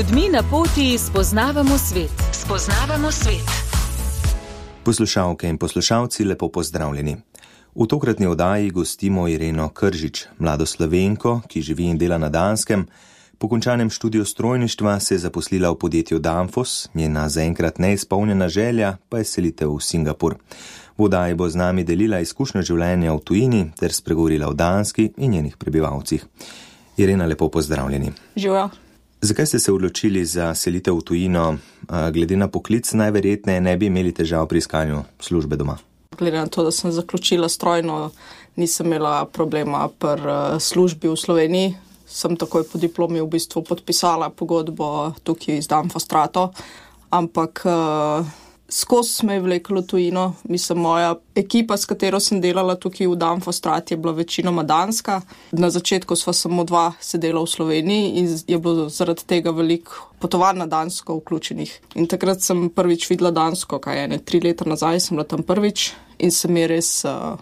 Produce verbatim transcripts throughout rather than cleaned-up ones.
ljudmi na poti spoznavamo svet. Spoznavamo svet. Poslušalke in poslušalci, lepo pozdravljeni. V tokratni oddaji gostimo Ireno Kržič, mlado Slovenko, ki živi in dela na Danskem. Po končanem študiju strojništva se je zaposlila v podjetju Danfoss, njena zaenkrat neizpolnjena želja pa je selitev v Singapur. V oddaji bo z nami delila izkušnjo življenja v tujini ter spregovorila o Danski in njenih prebivalcih. Irena, lepo pozdravljeni. Živijo. Zakaj ste se odločili za selitev v tujino? Glede na poklic najverjetneje ne bi imeli težav pri iskanju službe doma. Glede na to, da sem zaključila strojno, nisem imela problema pri službi v Sloveniji. Sem takoj po diplomi v bistvu podpisala pogodbo tukaj iz Danfoss, ampak uh, skozi me je vleklo tujino. Mislim, moja ekipa, s katero sem delala tukaj v Danfoss, je bila večinoma danska. Na začetku sva samo dva sedela v Sloveniji in je bilo zaradi tega veliko potovanj na Dansko vključenih. In takrat sem prvič videla Dansko, kaj je ne, tri leta nazaj sem bila tam prvič in se mi je res uh,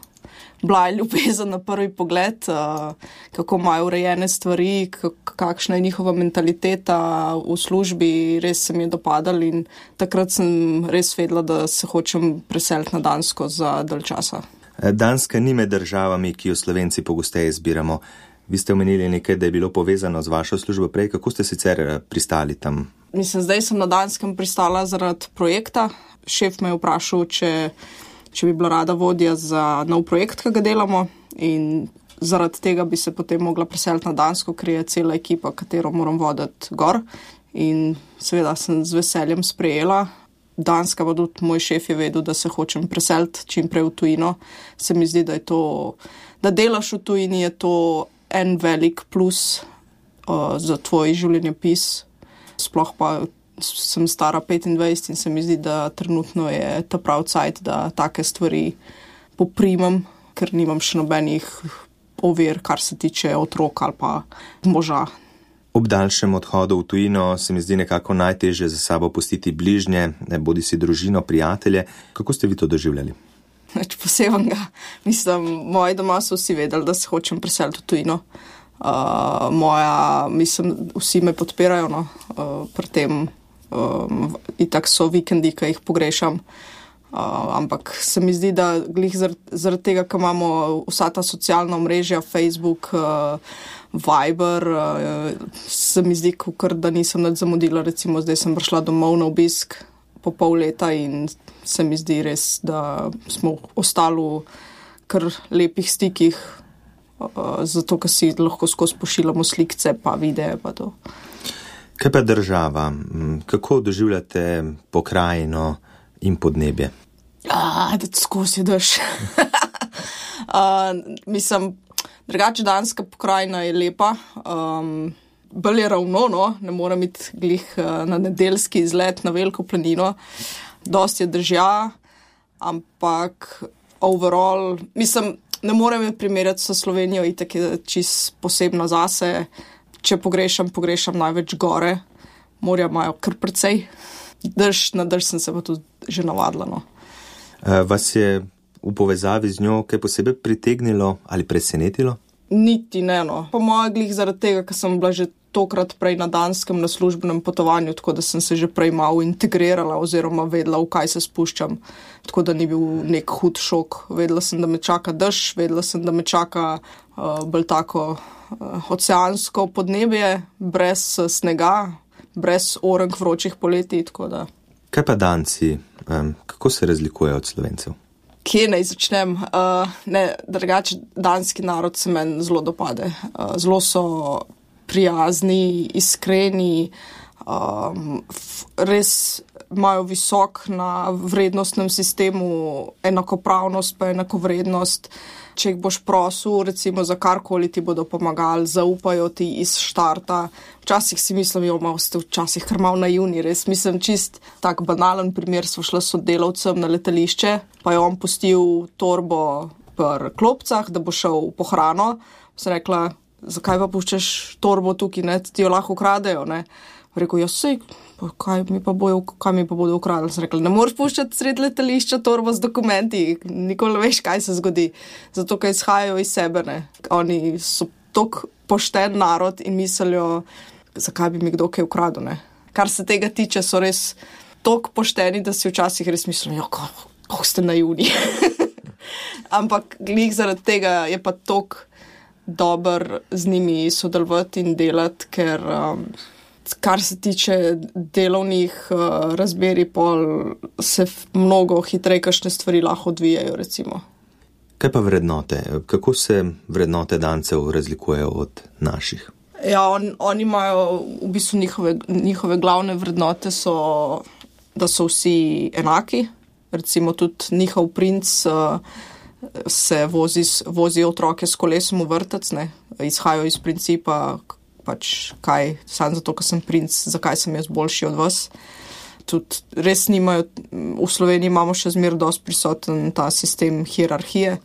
bila ljubezen na prvi pogled, uh, kako imajo urejene stvari, kakšna je njihova mentaliteta v službi, res se mi je dopadalo in takrat sem res vedela, da se hočem preseliti na Dansko za dalj časa. Danska ni med državami, ki jo Slovenci pogosteje izbiramo. Vi ste omenili nekaj, da je bilo povezano z vašo službo prej. Kako ste sicer pristali tam? Mislim, zdaj sem na Danskem pristala zaradi projekta. Šef me je vprašal, če če bi bila rada vodja za nov projekt, ki ga delamo, in zaradi tega bi se potem mogla preseliti na Dansko, ker je cela ekipa, katero moram voditi gor. In seveda sem z veseljem sprejela. Danska pa tudi moj šef je vedel, da se hočem preseliti čim prej v tujino. Se mi zdi, da je to, da delaš v tujini, je to en velik plus uh, za tvoj življenjepis. Sploh pa sem stara petindvajset in se mi zdi, da trenutno je ta prav cajt, da take stvari poprimam, ker nimam še nobenih ovir, kar se tiče otrok ali pa moža. Ob daljšem odhodu v tujino se mi zdi nekako najtežje za sabo pustiti bližnje, bodi si družino, prijatelje. Kako ste vi to doživljali? Več posebenega. Mislim, moji doma so vsi vedeli, da se hočem preseliti v tujino. Uh, moja, mislim, vsi me podpirajo, no, uh, pri tem. Um, itak so vikendi, ki jih pogrešam, uh, ampak se mi zdi, da glih zaradi, zaradi tega, ker imamo vsa ta socialna omrežja, Facebook, uh, Viber, uh, se mi zdi, kar da nisem nič zamudila. Recimo zdaj sem prišla domov na obisk po pol leta in se mi zdi res, da smo ostali v kar lepih stikih, uh, zato, ker si lahko skozi pošiljamo slikce pa videe pa to. Kaj pa država? Kako doživljate pokrajino in podnebje? A, da skozi daš. uh, mislim, drugače danska pokrajina je lepa. Um, bolj je ravno, no? Ne moram iti glih uh, na nedeljski izlet na veliko planino. Dosti je držja, ampak overall, mislim, ne morem je primerjati s Slovenijo, itak je čist posebno zase. Če pogrešam, pogrešam največ gore. Morja imajo kar precej. Drž, na drž sem se pa tudi že navadila. No. Vas je v povezavi z njo kaj posebej pritegnilo ali presenetilo? Niti ne, no. Po mojem glih zaradi tega, ker sem bila že tokrat prej na Danskem na službenem potovanju, tako da sem se že prej malo integrirala oziroma vedela, v kaj se spuščam. Tako da ni bil nek hud šok. Vedela sem, da me čaka drž, vedela sem, da me čaka uh, bolj tako oceansko podnebje, brez snega, brez orenk vročih poletij, tako da. Kaj pa Danci? Um, kako se razlikujejo od Slovencev? Kje naj začnem? Uh, ne, drugače, danski narod se meni zelo dopade. Uh, zelo so prijazni, iskreni, um, f, res imajo visok na vrednostnem sistemu, enakopravnost pa enakovrednost. Če jih boš prosil, recimo za karkoli ti bodo pomagali, zaupajo ti iz štarta. Včasih si mislim, jo, malo ste včasih kar malo naivni, res mislim čist tak banalen primer, so šla s sodelavcem na letališče, pa je on pustil torbo pri klopcah, da bo šel po hrano. Sem rekla, zakaj pa puščaš torbo tukaj, ne, ti jo lahko ukradejo, ne. Rekel, jaz sej, kaj mi pa bojo, kaj mi pa bodo ukradili. Sem rekla, ne moreš puščati sred letališča torbo z dokumenti, nikoli ne veš, kaj se zgodi. Zato, ker izhajajo iz sebe, ne. Oni so tok pošten narod in mislijo, zakaj bi mi kdo kaj ukradil, ne. kar se tega tiče, so res toliko pošteni, da si včasih res mislim, jo, kako ste naivni. Ampak glih zaradi tega je pa toliko dober z njimi sodelovati in delati, ker um, kar se tiče delovnih uh, razmeri, pol se mnogo hitreje kakšne stvari lahko odvijajo, recimo. Kaj pa vrednote? Kako se vrednote Dancev razlikujejo od naših? Ja, on, oni imajo v bistvu njihove, njihove glavne vrednote so, da so vsi enaki. Recimo tudi njihov princ uh, se vozi, vozi otroke s kolesom v vrtec, ne? Izhajajo iz principa, pač kaj, samo zato, ker sem princ, zakaj sem jaz boljši od vas. Tudi res nimajo, v Sloveniji imamo še zmer dosti prisoten ta sistem hierarhije,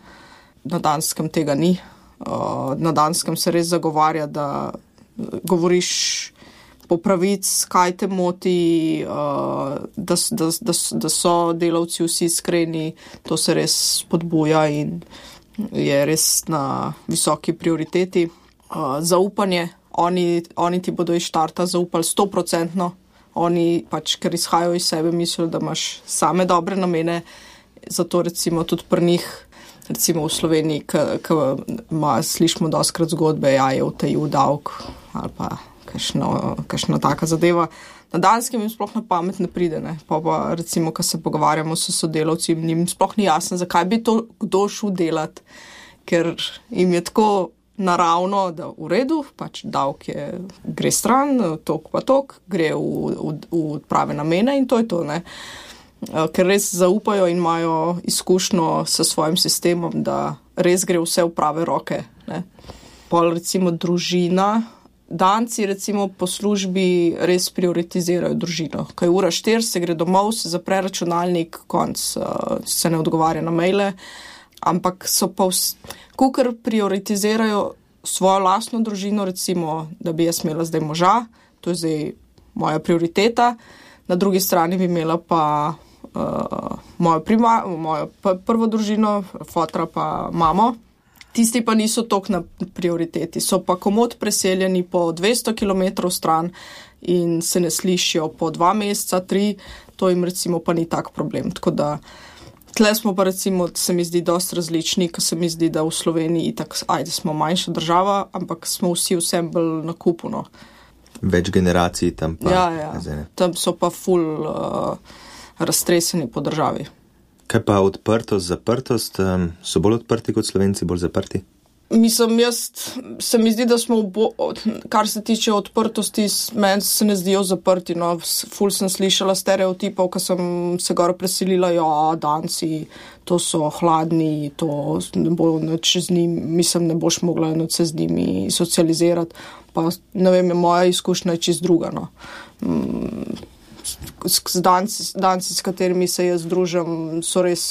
na Danskem tega ni. Uh, na Danskem se res zagovarja, da govoriš po pravic, kaj te moti, uh, da, da, da, da so delavci vsi iskreni, to se res spodbuja in je res na visoki prioriteti. Uh, zaupanje, oni, oni ti bodo iz štarta zaupali sto procentno. Oni pač, ker izhajajo iz sebe, mislijo, da imaš same dobre namene, zato recimo tudi pri njih, recimo v Sloveniji, ko slišimo doskrat zgodbe, ja, je utajil davek ali pa kakšna taka zadeva. Na Danskem jim sploh na pamet ne pride, ne. Pa pa recimo, ko se pogovarjamo s sodelavci, jim sploh ni jasno, zakaj bi to kdo šel delati, ker jim je tako naravno, da v redu, pač davek je, gre stran, tok pa tok, gre v, v, v prave namene in to je to, ne. Ker res zaupajo in imajo izkušnjo s svojim sistemom, da res gre vse v prave roke, ne. Pol recimo družina, Danci recimo po službi res prioritizirajo družino. Ko je ura štiri, se gre domov, se zapre računalnik, konc, se ne odgovarja na maile, ampak so pa vsi, kukor prioritizirajo svojo lastno družino, recimo, da bi jaz imela zdaj moža, to je zdaj moja prioriteta, na drugi strani bi imela pa uh, mojo, prima, mojo prvo družino, fotra pa mamo. Tisti pa niso toliko na prioriteti, so pa komod preseljeni po dvesto kilometrov stran in se ne slišijo po dva meseca, tri, to jim recimo pa ni tak problem, tako da tle smo pa recimo, se mi zdi dosti različni, ko se mi zdi, da v Sloveniji itak, ajde, smo manjša država, ampak smo vsi vsem bolj na kupu, no. Več generacij tam pa. Ja, ja. Tam so pa ful uh, raztreseni po državi. Kaj pa odprtost, zaprtost? Um, so bolj odprti kot Slovenci, bolj zaprti? Mislim, jaz se mi zdi, da smo, bo, kar se tiče odprtosti, meni se ne zdijo zaprti. No. Ful sem slišala stereotipov, ko sem se gor preselila, ja, Danci, to so hladni, to ne bo nič z njimi, mislim, ne boš mogla nič se z njimi socializirati. Pa ne vem, moja izkušnja je čist druga, no. S danci, danci, s katerimi se jaz družim, so res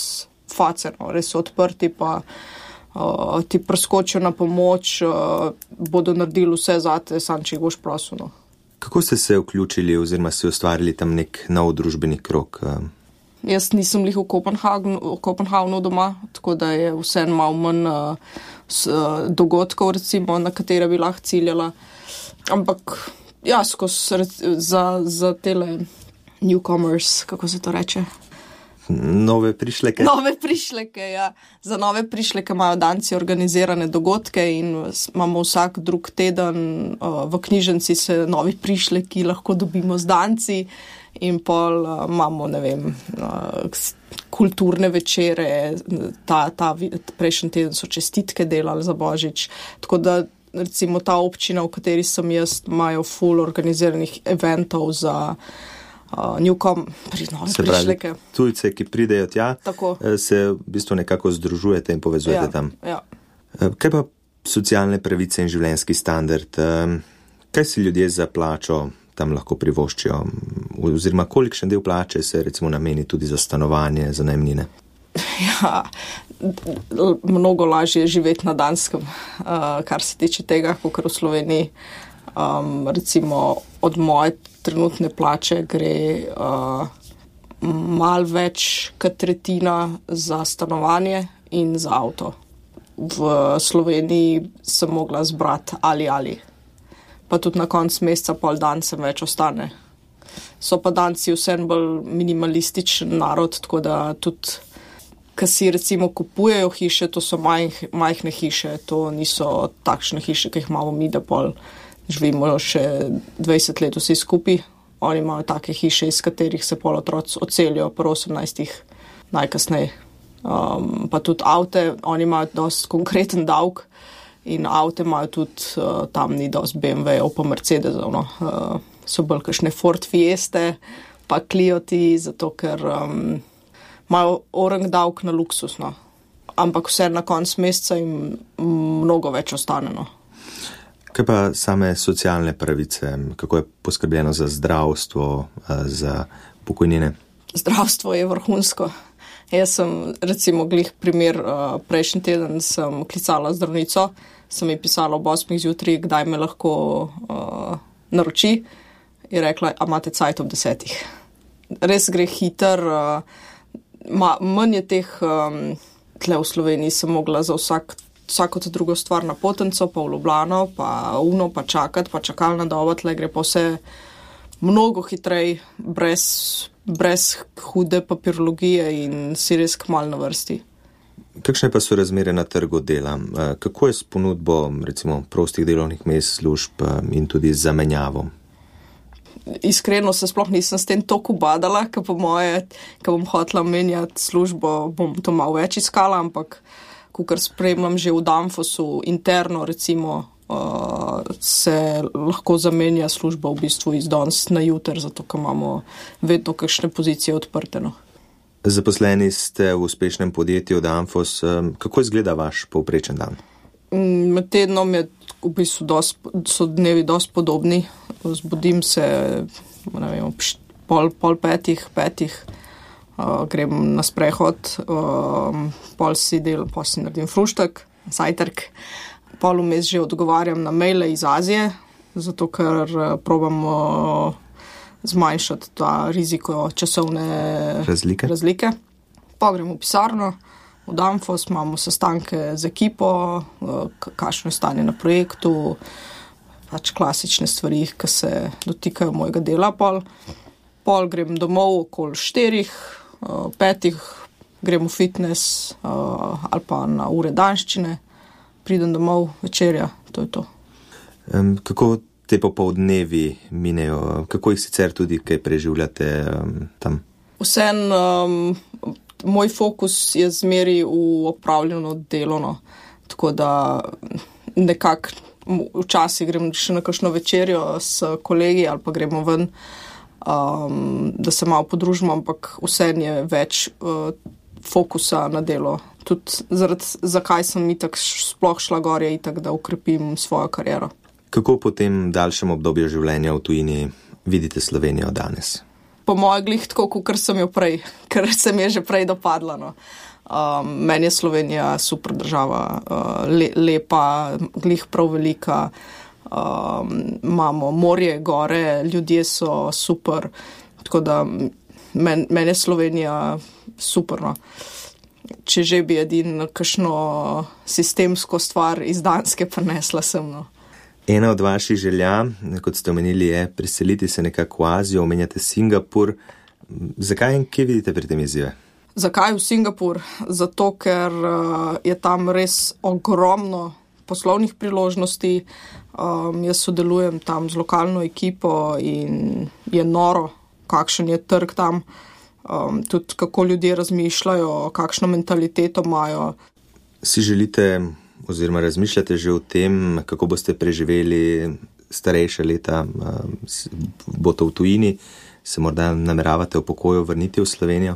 face, no, res so odprti, pa uh, ti preskočijo na pomoč, uh, bodo naredili vse zate, sam če jih boš prosil. No. Kako ste se vključili oziroma si ustvarili tam nek nov družbeni krog? Uh? Jaz nisem lih v Kopenhagnu, v Kopenhagnu doma, tako da je vse malo manj uh, s, uh, dogodkov, recimo, na katere bi lahko ciljala. Ampak ja, skozi za, za tele newcomers, kako se to reče? Nove prišleke. Nove prišleke, ja. Za nove prišleke imajo Danci organizirane dogodke in imamo vsak drug teden uh, v knjižnici se novi prišleki lahko dobimo z Danci in pol uh, imamo, ne vem, uh, kulturne večere, ta, ta prejšnji teden so čestitke delali za Božič, tako da recimo ta občina, v kateri sem jaz, imajo full organiziranih eventov za Uh, newcom, nove se pravi, prišleke. Tujce, ki pridejo tja, Tako. se v bistvu nekako združujete in povezujete ja, tam. Ja. Kaj pa socialne pravice in življenjski standard? Kaj si ljudje za plačo tam lahko privoščijo? Oziroma, kolikšen del plače se recimo nameni tudi za stanovanje, za najemnine? Ja, mnogo lažje je živeti na Danskem, uh, kar se tiče tega, kakor v Sloveniji. Um, recimo od moje trenutne plače gre uh, malo več kot tretjina za stanovanje in za avto. V Sloveniji sem mogla zbrati ali ali. Pa tudi na koncu meseca pol dan sem več ostane. So pa Danci vseeno bolj minimalističen narod, tako da tudi, ko si recimo kupujejo hiše, to so majh, majhne hiše, to niso takšne hiše, ki jih imamo mi, da pol živimo še dvajset let vsi skupaj. Oni imajo take hiše, iz katerih se pol otroci odselijo pri osemnajstih najkasneje. Um, pa tudi avte, oni imajo dosti konkreten davek in avte imajo tudi, uh, tam ni dosti bé em vé-ov pa Mercedesov, no. Uh, so bolj kakšne Ford Fieste, pa Clioti, zato ker um, imajo orang davek na luksus, no. Ampak vse na konc meseca jim mnogo več ostane, no. Kaj pa same socialne pravice? Kako je poskrbljeno za zdravstvo, za pokojnine? Zdravstvo je vrhunsko. Jaz sem, recimo, glih primer, prejšnji teden sem klicala zdravnico, sem ji pisala ob osmih zjutraj, kdaj me lahko uh, naroči, in rekla, a imate cajt ob desetih. Res gre hiter, uh, ma, manj je teh, um, tle v Sloveniji sem mogla za vsak vsako to drugo stvar na Potenco, pa v Ljubljano, pa uno, pa čakati, pa čakalna doba, tle gre pa vse mnogo hitrej, brez, brez hude papirologije in si res kmalu na vrsti. Kakšne pa so razmere na trgu dela? Kako je s ponudbo, recimo, prostih delovnih mest, služb in tudi zamenjavo? Iskreno se sploh nisem s tem toliko badala, ker po moje, ker bom hotela menjati službo, bom to malo več iskala, ampak kukor spremljam že v Danfosu interno, recimo, uh, se lahko zamenja služba v bistvu iz danes na jutr, zato ker imamo vedno kakšne pozicije odprte, no. Zaposleni ste v uspešnem podjetju Danfos. Kako izgleda vaš povprečen dan? Med tednom je v bistvu dost, so dnevi dosti podobni. Zbudim se, ne vem, pol, pol petih, petih. Uh, grem na sprehod, uh, pol si del, pol si naredim fruštek, sajtrk, pol vmes že odgovarjam na maile iz Azije, zato ker uh, probam uh, zmanjšati ta riziko časovne razlike. razlike. Pa grem v pisarno, v Danfos, imamo sestanke z ekipo, uh, kakšno je stanje na projektu, pač klasične stvari, ki se dotikajo mojega dela. Pol, pol grem domov okoli štirih, Uh, petih, grem v fitness uh, ali pa na ure danščine, pridem domov, večerja, to je to. Um, kako te popoldnevi minejo? Kako jih sicer tudi kaj preživljate um, tam? Vsem, um, moj fokus je zmeri v opravljeno delo, no. Tako da nekako včasih grem še na kakšno večerjo s kolegi ali pa gremo ven, Um, da se malo podružimo, ampak vseeno je več uh, fokusa na delo. Tudi zaradi, zakaj sem itak sploh šla gor, je itak, da ukrepim svojo kariero. Kako po tem daljšem obdobju življenja v tujini vidite Slovenijo danes? Po moje glih tako, kot sem jo prej, ker se mi je že prej dopadla, no. Um, meni je Slovenija super država, uh, le, lepa, glih prav velika. Um, imamo morje, gore, ljudje so super, tako da men, meni je Slovenija super, no. Če že bi edin kakšno sistemsko stvar iz Danske prinesla sem, no. Ena od vaših želja, kot ste omenili, je preseliti se nekako v Azijo, omenjate Singapur. Zakaj in kje vidite pri tem izzive? Zakaj v Singapur? Zato, ker uh, je tam res ogromno poslovnih priložnosti. Um, jaz sodelujem tam z lokalno ekipo in je noro, kakšen je trg tam, um, tudi kako ljudje razmišljajo, kakšno mentaliteto imajo. Si želite oziroma razmišljate že o tem, kako boste preživeli starejše leta, um, bo to v tujini, se morda nameravate v pokoju vrniti v Slovenijo?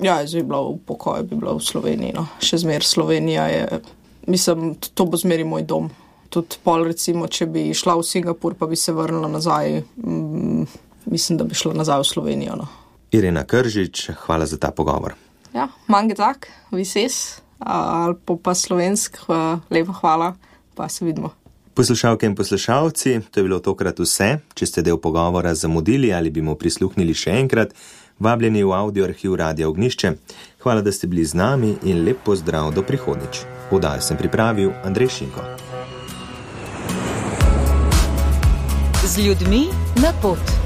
Ja, jaz bi bila v pokoju, bi bila v Sloveniji, no. Še zmer Slovenija je, mislim, to bo zmeri moj dom. Tudi pol, recimo, če bi šla v Singapur, pa bi se vrnila nazaj, mm, mislim, da bi šla nazaj v Slovenijo, no. Irena Kržič, hvala za ta pogovor. Ja, mange tak, vises, ali pa slovensk, lepa hvala, pa se vidimo. Poslušalke in poslušalci, to je bilo tokrat vse. Če ste del pogovora zamudili ali bi mu prisluhnili še enkrat, vabljeni v audio arhiv Radia Ognjišče. Hvala, da ste bili z nami in lep pozdrav do prihodnjič. Oddajo sem pripravil Andrej Šinko. Z ljudmi na pot.